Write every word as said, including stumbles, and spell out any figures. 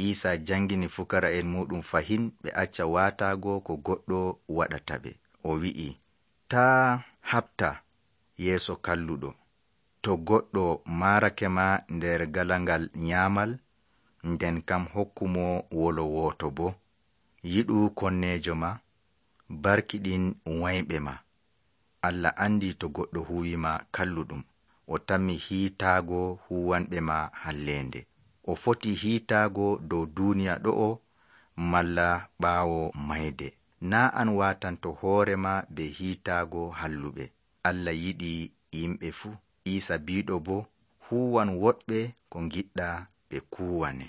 Iisa jangini fukara'en muɗum fahin ɓe acca waataago ko goɗɗo waɗata ɓe. O wi'i, taa haɓta yeeso kalluɗo. To goɗɗo maarake ma nder galangal nyaamal, nden kam hokkumo wolo wooto bo. Yiɗu konneejo ma, barkiɗin wayɓe ma. Allah andi to goɗɗo huwima kalluɗum, o tammi hiitaago huwanɓe ma halleende. O foti hiitaago dow duuniya ɗo'o malla ɓaawo mayde. Naa an waatanto hoorema be hiitaago halluɓe. Allah yiɗi yimɓe fuu. Iisa biiɗo bo, huwan woɗɓe ko ngiɗɗa ɓe kuwane.